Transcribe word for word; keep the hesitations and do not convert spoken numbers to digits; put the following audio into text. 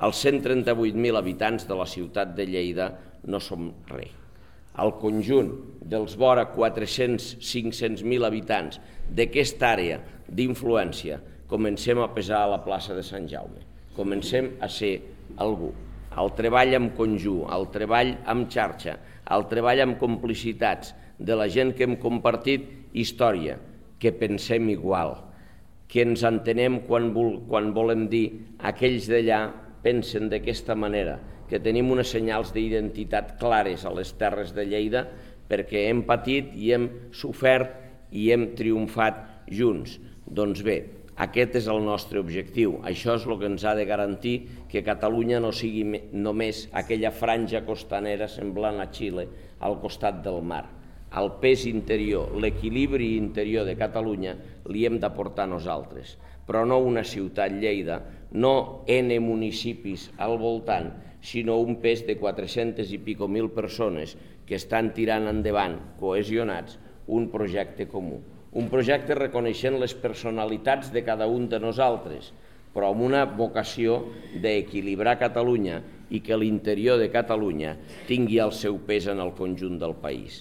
els cent trenta-vuit mil habitants de la ciutat de Lleida no som res. El conjunt dels vora quatre-cents a cinc-cents mil habitants d'aquesta àrea d'influència comencem a pesar a la plaça de Sant Jaume, comencem a ser algú. El treball en conjunt, el treball en xarxa, el treball amb complicitats de la gent que hem compartit història, que pensem igual, que ens entenem quan, vol, quan volem dir aquells d'allà pensen d'aquesta manera, que tenim unes senyals d'identitat clares a les terres de Lleida perquè hem patit i hem sofert i hem triomfat junts. Doncs bé, aquest és el nostre objectiu. Això és el que ens ha de garantir que Catalunya no sigui només aquella franja costanera semblant a Xile al costat del mar. El pes interior, l'equilibri interior de Catalunya li hem d'aportar nosaltres, però no una ciutat Lleida, no N municipis al voltant, sinó un pes de quatre-centes i pico mil persones que estan tirant endavant, cohesionats, un projecte comú. Un projecte reconeixent les personalitats de cada un de nosaltres, però amb una vocació d'equilibrar Catalunya i que l'interior de Catalunya tingui el seu pes en el conjunt del país.